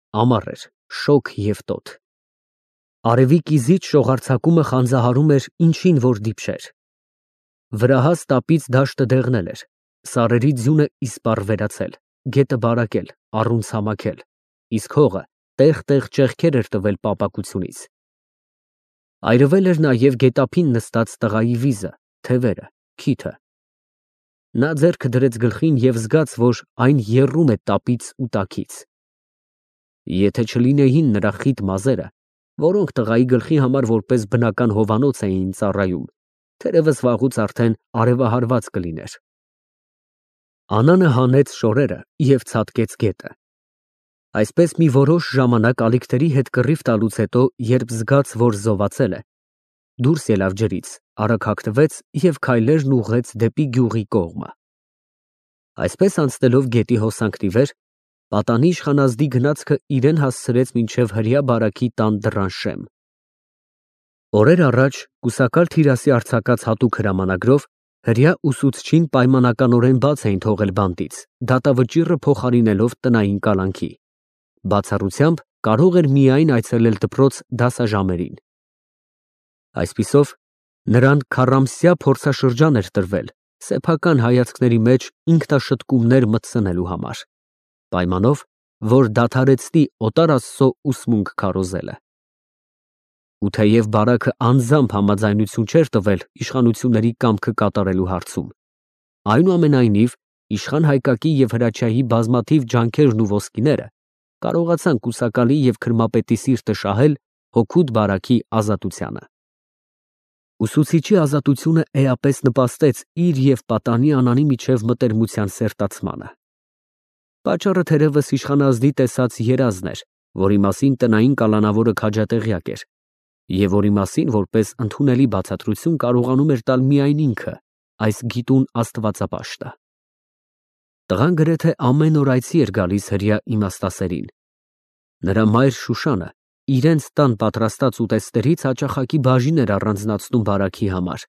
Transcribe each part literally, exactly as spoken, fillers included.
Ամառ էր, շոգ և տոտ։ Արևի կիզիչ շողարձակումը խանձահարում էր ինչին որ դիպչեր։ Վրահաս տապից դաշտը դեղնել էր, սարերի ձյունը իսպառ վերացել, գետը բարակել, առուն ցամաքել, իսկ հողը տեղ֊տեղ ճեղքեր էր տվել պապակությունից։ Այրվել էր նաև գետափին նստած տղայի վիզը, թևերը, քիթը։ Նա ձեռքը դրեց գլխին և զգաց, որ այն եռում է տապից ու տաքից։ Եթե չլինեին նրա խիտ մազերը, որոնք տղայի գլխի համար որպես բնական հովանոց էին ծառայում, թերևս վաղուց արդեն արևահարված կլիներ։ Անանը հանեց շորերը և ցատկեց գետը։ Այսպես մի որոշ ժամանակ ալիքների հետ կռիվ տալուց հետո, երբ զգաց, որ զովացել է, դուրս ելավ ջրից, արագ հագնվեց և քայլերն ուղղեց դեպի գյուղի կողմը։ Այսպես անցնելով գետի հոսանքն ի վեր, պատանի իշխանազդի գնացքը իրան հասցրեց մինչև Հրեա բարակի տան դռան շեմ։ Օրեր առաջ կուսակալ Թիրասի արձակած հատուկ հրամանագրով հրեա ուսուցչին պայմանականորեն բաց էին թողել բանտից, դատավճիռը փոխարինելով տնային կալանքի։ Բացառությամբ կարող էր միայն այցելել դպրոց դասաժամերին։ Այսպիսով, նրան քառամսյա փորձաշրջան էր տրվել սեփական հայացքների մեջ ինքնաշտկումներ մտցնելու համար, պայմանով, որ դադարեցնի օտար աստծո ուսմունք քարոզելը։ Ու թեև բարակը անձամբ համաձայնություն չէր տվել իշխանությունների կամքը կատարելու հարցում, այնուամենայնիվ իշխան Հայկակի և Հրաչյայի բազմաթիվ ջանքերն ու ոսկիները կարողացան կուսակալի և քրմապետի սիրտը շահել հօգուտ բարակի ազատությանը։ Ուսուցիչի ազատությունը էապես նպաստեց իր և պատանի Անանի միջև մտերմության սերտացմանը։ Պատճառը թերևս իշխանազդի տեսած երազն էր, որի մասին տնային կալանավորը քաջատեղյակ էր, և որի մասին որպես ընդունելի բացատրություն կարողանում էր տալ միայն ինքը, այս գիտուն աստվածապաշտը։ Տղան գրեթե ամեն օր այցի էր գալիս հրեա իմաստասերին։ Նրա մայր Շուշանը իրենց տան պատրաստած ուտեստներից հաճախակի բաժին էր առանձնացնում բարաքի համար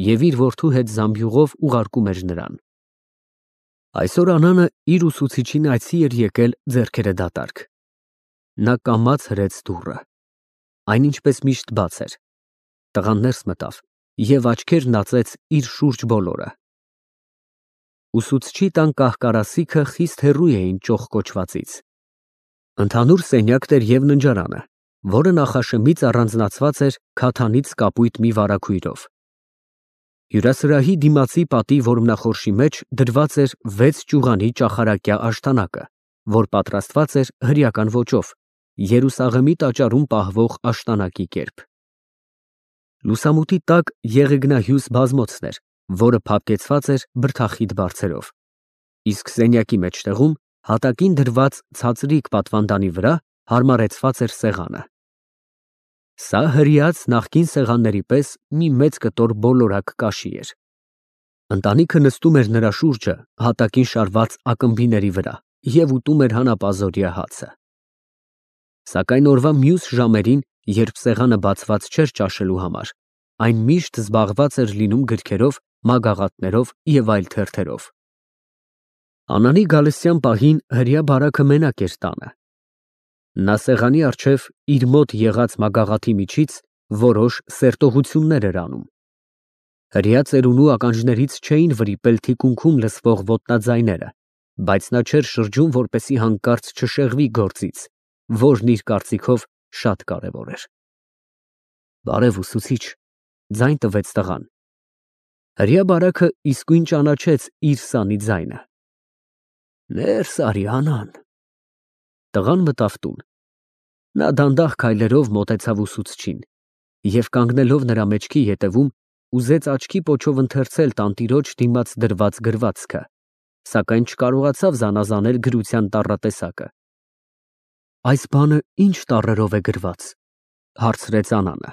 և իր որդու հետ զամբյուղով ուղարկում էր նրան։ Այսօր Անանը իր ուսուցիչին այցի էր եկել ձեռքերը դատարկ։ Նա կամաց հրեց դուռը։ Այն ինչպես միշտ բաց էր։ Տղան ներս մտավ և աչքերն ածեց իր շուրջ բոլորը։ Ուսուցչի տան կահ֊կարասիքը խիստ հեռու էին ճոխ֊կոչվածից։ Ընդհանուր սենյակն էր և ննջարանը, որը նախաշեմից առանձնացված էր քաթանից կապույտ մի վարագույրով։ Հյուրասրահի դիմացի պատի որմնախորշի մեջ դրված էր վեց ճյուղանի ճախարակյա աշտանակը, որ պատրաստված էր հրեական ոճով, Երուսաղեմի տաճարում պահվող աշտանակի կերպ։ Լուսամուտի տակ եղեգնահյուս բազմոցն էր, որը փափկեցված էր բրդախիտ բարձերով, իսկ սենյակի մեջտեղում հատակին դրված ցածրիկ պատվանդանի վրա հարմարեցված էր սեղանը։ Սա հրեաց նախկին սեղանների պես մի մեծ կտոր բոլորակ կաշի էր։ Ընտանիքը նստում էր նրա շուրջը հատակին շարված ակմբիների վրա և ուտում էր հանապազօրյա հացը։ Սակայն օրվա մյուս ժամերին, երբ սեղանը բացված չէր ճաշելու համար, այն միշտ զբաղված էր լինում գրքերով, մագաղաթներով և այլ թերթերով։ Անանի գալստյան պահին հրեա բարակը մենակ էր տանը։ Նա սեղանի առջև իր մոտ եղած մագաղաթի միջից որոշ սերտողություններ էր անում։ Հրեա ծերունու ականջներից չէին վրիպել թիկունքում լսվող ոտնաձայները, բայց նա չէր շրջում, որպեսզի հանկարծ չշեղվի գործից, որն իր կարծիքով շատ կարևոր էր։ Բարև, ուսուցիչ, ձայն տվեց տղան։ Հրեա բարակը իսկույն ճանաչեց իր սանի ձայնը։ Ներս արի, Անան։ Տղան մտավ տուն։ Նա դանդաղ քայլերով մոտեցավ ուսուցչին և կանգնելով նրա մեջքի ետևում, ուզեց աչքի պոչով ընթերցել տանտիրոջ դիմաց դրված գրվածքը, սակայն չկարողացավ զանազանել գրության տառատեսակը։ Այս բանը ի՞նչ տառերով է գրված, հարցրեց Անանը։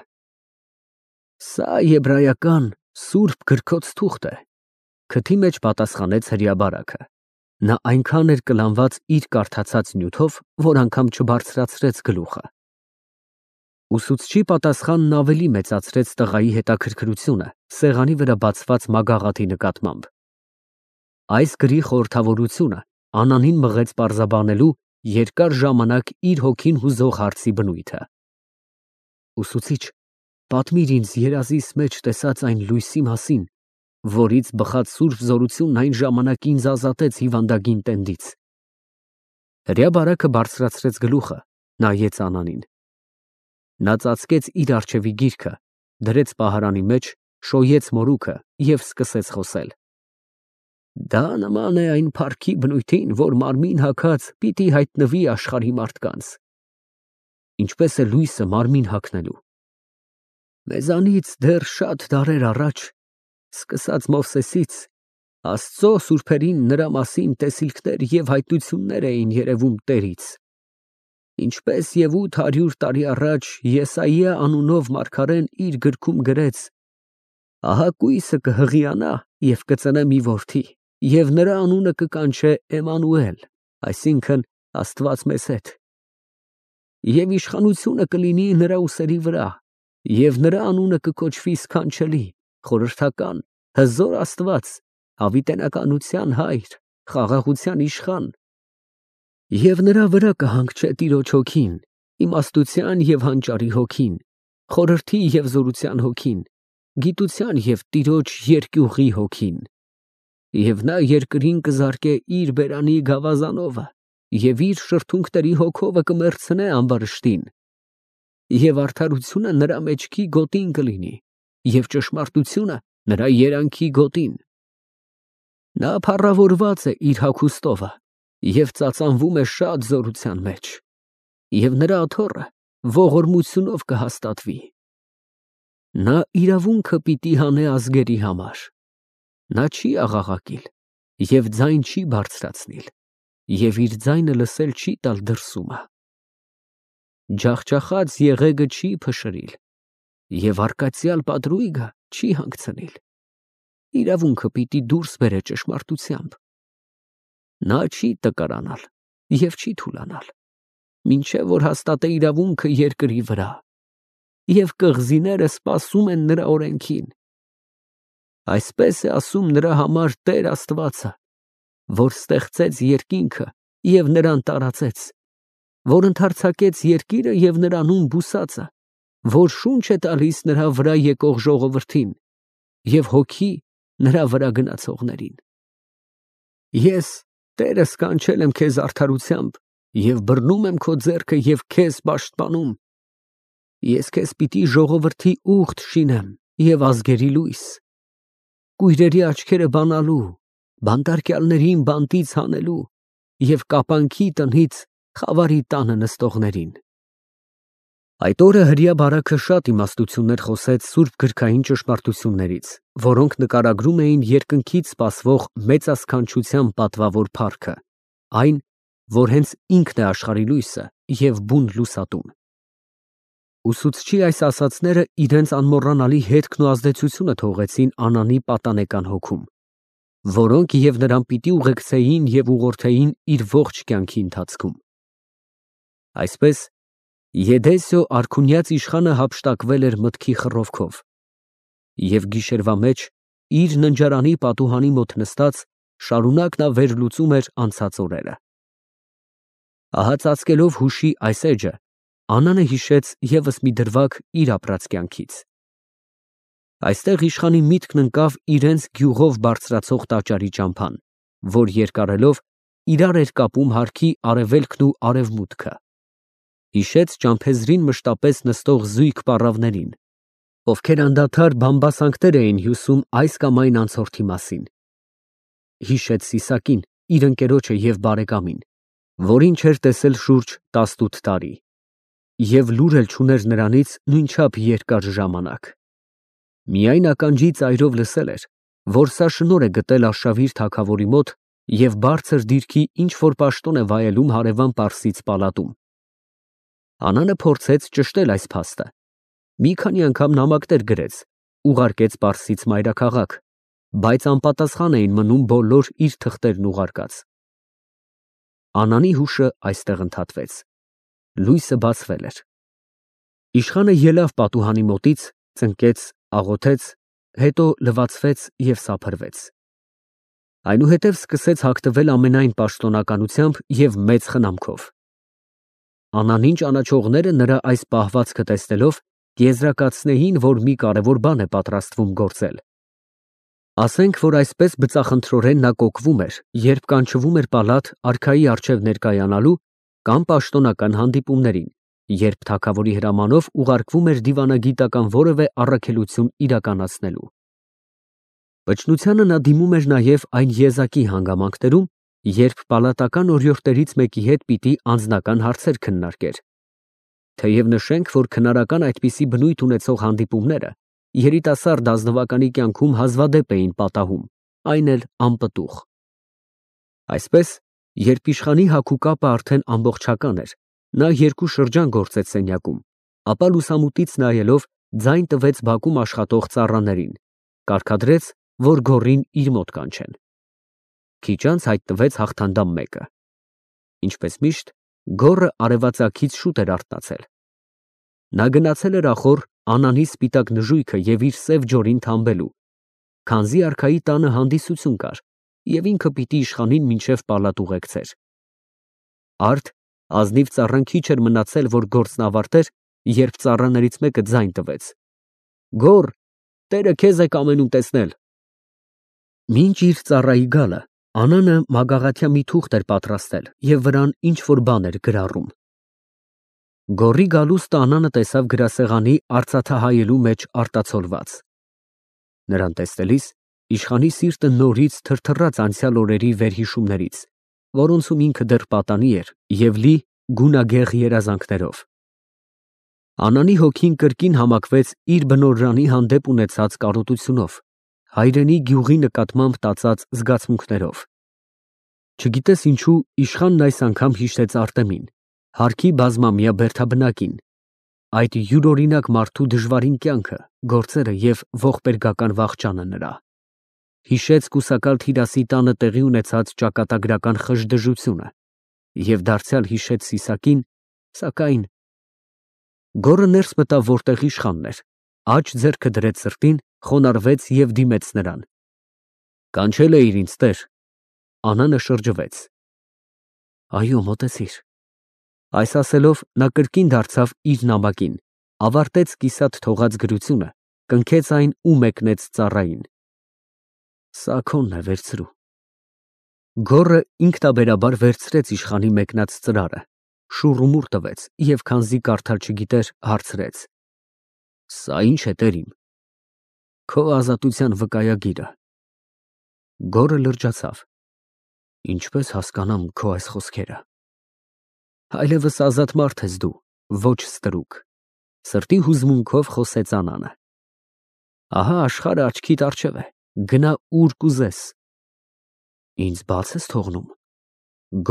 Սա եբրայական սուրբ գրքոց թուղթ է, քթի մեջ պատասխանեց հրեա բարակը։ Նա այնքան էր կլանված իր կարդացած նյութով, որ անգամ չբարձրացրեց գլուխը։ Ուսուցչի պատասխանն ավելի մեծացրեց տղայի հետաքրքրությունը սեղանի վրա բացված մագաղաթի նկատմամբ։ Այս գրի խորհրդավորությունը Անանին մղեց պարզաբանելու, երկար ժամանակ իր հոգին հուզող հարցի բնույթը։ Ուսուցիչ, պատմիր ինձ երազիս մեջ տեսած այն լույսի մասին, որից բխած սուրբ զորությունն այն ժամանակ ինձ ազատեց հիվանդագին տենդից։ Հրեաբարակը բարձրացրեց գլուխը, նայեց Անանին։ Նա ծածկեց իր առջևի գիրքը, դրեց պահարանի մեջ, շոյեց մորուքը և սկսեց խոսել։ Դա նման է այն փառքի բնույթին, որ մարմին հագած պիտի հայտնվի աշխարհի մարդկանց։ Ինչպես է լույսը մարմին հագնելու։ Մեզանից դեռ շատ դարեր առաջ, սկսած Մովսեսից, Աստծո սուրբերին նրա մասին տեսիլքներ և հայտնություններ էին երևում Տերից։ Ինչպես և ութ հարյուր տարի առաջ Եսայիա անունով մարգարեն իր գրքում գրեց. ահա կույսը կհղիանա և կծնե մի որդի, և նրա անունը կկանչե Էմանուել, այսինքն Աստված մեզ հետ։ Եվ իշխանությունը կլինի նրա ուսերի վրա, և նրա անունը կկոչվի Սքանչելի, Խորհրդական, Հզոր Աստված, Հավիտենականության Հայր, Խաղաղության Իշխան։ Եվ նրա վրա կհանգչե Տիրոջ հոգին, իմաստության և հանճարի հոգին, խորհրդի և զորության հոգին, գիտության և Տիրոջ երկյուղի հոգին։ Եվ նա երկրին կզարկե իր բերանի գավազանովը, և իր շրթունքների հոգովը կմեռցնե ամբարշտին։ Եվ արդարությունը նրա մեջքի գոտին կլինի, և ճշմարտությունը նրա երանքի գոտին։ Նա փառավորված է իր հագուստովը և ծածանվում է շատ զորության մեջ, և նրա աթոռը ողորմությունով կհաստատվի։ Նա իրավունքը պիտի հանե ազգերի համար։ Նա չի աղաղակիլ և ձայն չի բարձրացնիլ, և իր ձայնը լսել չի տալ դրսումը։ Ջախջախած եղեգը չի փշրիլ, և արկածյալ պատրույգը չի հանգցնիլ։ Իրավունքը պիտի դուրս բերե ճշմարտությամբ։ Նա չի տկարանալ և չի թուլանալ, մինչև որ հաստատե իրավունքը երկրի վրա, և կղզիները սպասում են նրա օրենքին։ Այսպես է ասում նրա համար Տեր Աստվածը, որ ստեղծեց երկինքը և նրան տարածեց, որ ընդարձակեց երկիրը և նրանում բուսածը, որ շունչ է տալիս նրա վրա եկող ժողովրդին և հոգի նրա վրա գնացողներին։ Ես Տերս կանչել եմ քեզ արդարությամբ և բռնում եմ քո ձեռքը և քեզ պաշտպանում։ Ես քեզ պիտի ժողովրդի ուխտ շինեմ և ազգերի լույս, կույրերի աչքերը բանալու, բանտարկյալներին բանտից հանելու և կապանքի տնից խավարի տանը նստողներին։ Այդ օրը հրեաբարակը շատ իմաստություններ խոսեց սուրբ գրքային ճշմարտություններից, որոնք նկարագրում էին երկնքից սպասվող մեծասքանչության պատվավոր փառքը, այն, որ հենց ինքն է աշխարհի լույսը և բուն լուսատուն։ Ուսուցչի այս ասացները իրենց անմոռանալի հետքն ու ազդեցությունը թողեցին Անանի պատանեկան հոգում, որոնք և նրան պիտի ուղեկցեին և ուղղորդեին իր ողջ կյանքի ընթացքում։ Այսպես Եդեսիո արքունյաց իշխանը հափշտակվել էր մտքի խռովքով, և գիշերվա մեջ իր ննջարանի պատուհանի մոտ նստած շարունակ նա վերլուծում էր անցած օրերը։ Ահա ծածկելով հուշի այս էջը, Անանը հիշեց ևս մի դրվագ իր ապրած կյանքից։ Այստեղ իշխանի միտքն ընկավ իրենց գյուղով բարձրացող տաճարի ճամփան, որ երկարելով իրար էր կապում հարքի արևելքն ու արևմուտքը։ Հիշեց ճամփեզրին մշտապես նստող զույգ պառավներին, ովքեր անդադար բամբասանքներ էին հյուսում այս կամ այն անցորդի մասին։ Հիշեց Սիսակին, իր ընկերոջը և բարեկամին, որին չէր տեսել շուրջ տասնութ տարի, և լուր էլ չուներ նրանից նույնչափ երկար ժամանակ։ Միայն ականջի ծայրով լսել էր, որ սա շնորհ է գտել արշավիր թագավորի մոտ և բարձր դիրքի ինչ֊որ պաշտոն է վայելում հարևան Պարսից պալատում։ Անանը փորձեց ճշտել այս փաստը, մի քանի անգամ նամակներ գրեց, ուղարկեց Պարսից մայրաքաղաք, բայց անպատասխան էին մնում բոլոր իր թղթերն ուղարկած։ Անանի հուշը այստեղ ընդհատվեց։ Լույսը բացվել էր։ Իշխանը ելավ պատուհանի մոտից, ծնկեց, աղոթեց, հետո լվացվեց և սափրվեց։ Այնուհետև սկսեց հագտվել ամենայն պաշտոնականությամբ և մեծ խնամքով։ Անանին ճանաչողները նրա այս պահվածքը տեսնելով կեզրակացնեին, որ մի կարևոր բան է պատրաստվում գործել։ Ասենք, որ այսպես բծախնդրորեն նա կոկվում էր, երբ կանչվում էր պալատ արքայի առջև ներկայանալու կամ պաշտոնական հանդիպումներին, երբ թագավորի հրամանով ուղարկվում էր դիվանագիտական որևէ առաքելություն իրականացնելու։ Վճռությանը նա դիմում էր նաև այն եզակի հանգամանքներում, երբ պալատական օրիորդներից մեկի հետ պիտի անձնական հարցեր քննարկեր։ Թեև նշենք, որ քնարական այդպիսի բնույթ ունեցող հանդիպումները երիտասարդ ազնվականի կյանքում հազվադեպ էին պատահում, այն էլ անպտուղ։ Այսպես, երբ իշխանի հագու կապը արդեն ամբողջական էր, նա երկու շրջան գործեց սենյակում, ապա լուսամուտից նայելով ձայն տվեց բակում աշխատող ծառաներին, կարգադրեց, որ գոռին իր մոտ կանչեն։ Քիչ անց հայտնվեց հաղթանդամ մեկը։ Ինչպես միշտ, գոռը արևածագից շուտ էր արթնացել։ Նա գնացել էր ախոր Անանի սպիտակ նժույգը և իր սև ջորին թամբելու, քանզի արքայի տանը հանդիսություն կար, և ինքը պիտի իշխանին մինչև պալատ ուղեկցեր։ Արդ ազնիվ ծառան քիչ էր մնացել, որ գործն ավարտեր, երբ ծառաներից մեկը ձայն տվեց. «Գոռ, տերը քեզ է կամենում տեսնել»։ Մինչ իր ծառայի գալը Անանը մագաղաթյա մի թուղթ էր պատրաստել և վրան ինչ-որ բան էր գրառում։ Գոռի գալուստը Անանը տեսավ գրասեղանի արծաթահայելու մեջ արտացոլված։ Նրան տեսնելիս իշխանի սիրտը նորից թրթռաց անցյալ օրերի վերհիշումներից, որոնցում ինքը դեռ պատանի էր և լի գունագեղ երազանքներով։ Անանի հոգին կրկին համակվեց իր բնօրրանի հանդեպ ունեցած կարոտությունով, հայրենի գյուղի նկատմամբ տածած զգացմունքներով։ Չգիտես ինչու իշխանն այս անգամ հիշեց Արտեմին, հարկի բազմամյա բերդաբնակին, այդ յուրօրինակ մարդու դժվարին կյանքը, գործերը և ողբերգական վախճանը նրա։ Հիշեց կուսակալ Թիրասի տանը տեղի ունեցած ճակատագրական խժդժությունը և դարձյալ հիշեց Սիսակին, սակայն… Գոռը ներս մտավ, որտեղ իշխանն էր, աջ ձեռքը դրեց սրտին, խոնարհվեց և դիմեց նրան։ Կանչել էիր ինձ, տեր։ Անանը շրջվեց։ Այո, մոտեցիր։ Այս ասելով նա կրկին դարձավ իր նամակին, ավարտեց կիսատ թողած գրությունը, կնքեց այն ու մեկնեց ծառային։ Սա քոնն է, վերցրու։ Գոռը ինքնաբերաբար վերցրեց իշխանի մեկնած ծրարը, շուռումուռ տվեց և քանզի կարդալ չգիտեր, հարցրեց. Սա ի՞նչ է, տեր իմ։ Քո ազատության վկայագիրը։ Գոռը լրջացավ։ Ինչպես հասկանամ քո այս խոսքերը։ Այլևս ազատ մարդ ես դու, ոչ ստրուկ, սրտի հուզմունքով խոսեց Անանը։ Ահա աշխարհը աչքիդ առջև է, գնա ուր կուզես։ Ինձ բաց ես թողնում։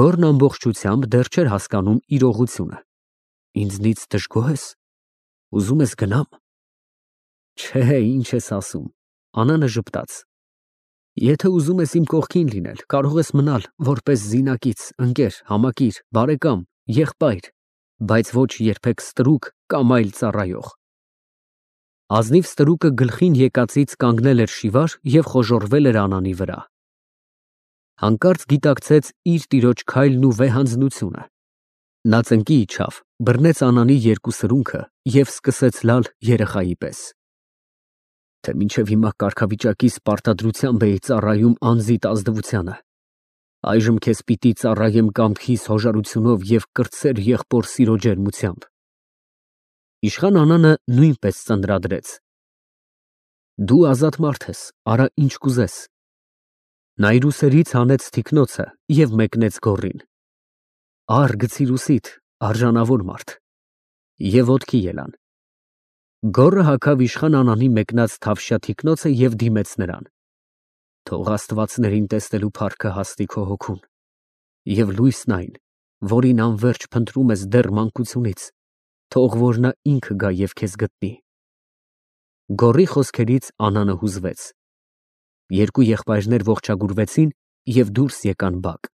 Գոռն ամբողջությամբ դեռ չէր հասկանում իրողությունը։ Ինձնից դժգոհ ես։ Ուզում ես գնամ։ Չէ, ինչ ես ասում։ Անանը ժպտաց։ Եթե ուզում ես իմ կողքին լինել, կարող ես մնալ որպես զինակից, ընկեր, համակիր, բարեկամ, եղբայր, բայց ոչ երբեք ստրուկ կամ այլ ծառայող։ Ազնիվ ստրուկը գլխին եկածից կանգնել էր շիվար և խոժոռվել էր Անանի վրա։ Հանկարծ գիտակցեց իր տիրոջ քայլն ու վեհանձնությունը։ Նա ծնկի իջավ, բռնեց Անանի երկու սրունքը և սկսեց լալ երեխայի պես։ Թե մինչև հիմա կարգավիճակիս պարտադրությամբ էի ծառայում անձիդ ազնվությանը, այժմ քեզ պիտի ծառայեմ կամքիս հոժարությունով և կրտսեր եղբոր սիրո ջերմությամբ։ Իշխան Անանը նույնպես ծննդրադրեց. Դու ազատ մարդ ես, արա ինչ կուզես։ Նա իր ուսերից հանեց թիկնոցը և մեկնեց գոռին. Առ, գցիր ուսիդ, արժանավոր մարդ։ Եվ ոտքի ելան։ Գոռը հագավ իշխան Անանի մեկնած թավշյա թիկնոցը և դիմեց նրան։ Թող աստվածներին տեսնելու փառքը հասնի քո հոգուն և լույսն այն, որին անվերջ փնտրում ես դեռ մանկությունից, թող որ նա ինքը գա և քեզ գտնի։ Գոռի խոսքերից Անանը հուզվեց։ Երկու եղբայրներ ողջագուրվեցին և դուրս եկան բակ։